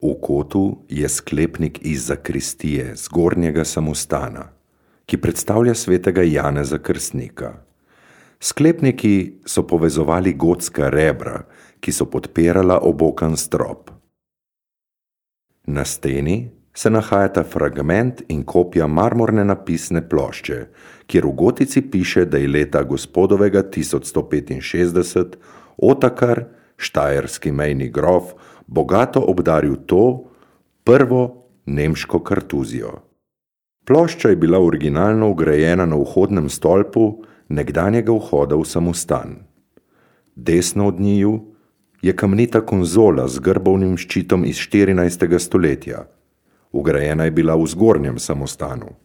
V kotu je sklepnik iz zakristije zgornjega samostana, ki predstavlja svetega Janeza Krstnika. Sklepniki so povezovali gotska rebra, ki so podpirala obokan strop. Na steni se nahajata fragment in kopija marmorne napisne plošče, kjer v gotici piše, da je leta gospodovega 1165 Otakar, štajerski mejni grof, bogato obdaril to, prvo nemško kartuzijo. Plošča je bila originalno vgrajena na vhodnem stolpu nekdanjega vhoda v samostan. Desno od njiju je kamnita konzola z grbovnim ščitom iz 14. stoletja. Vgrajena je bila v zgornjem samostanu.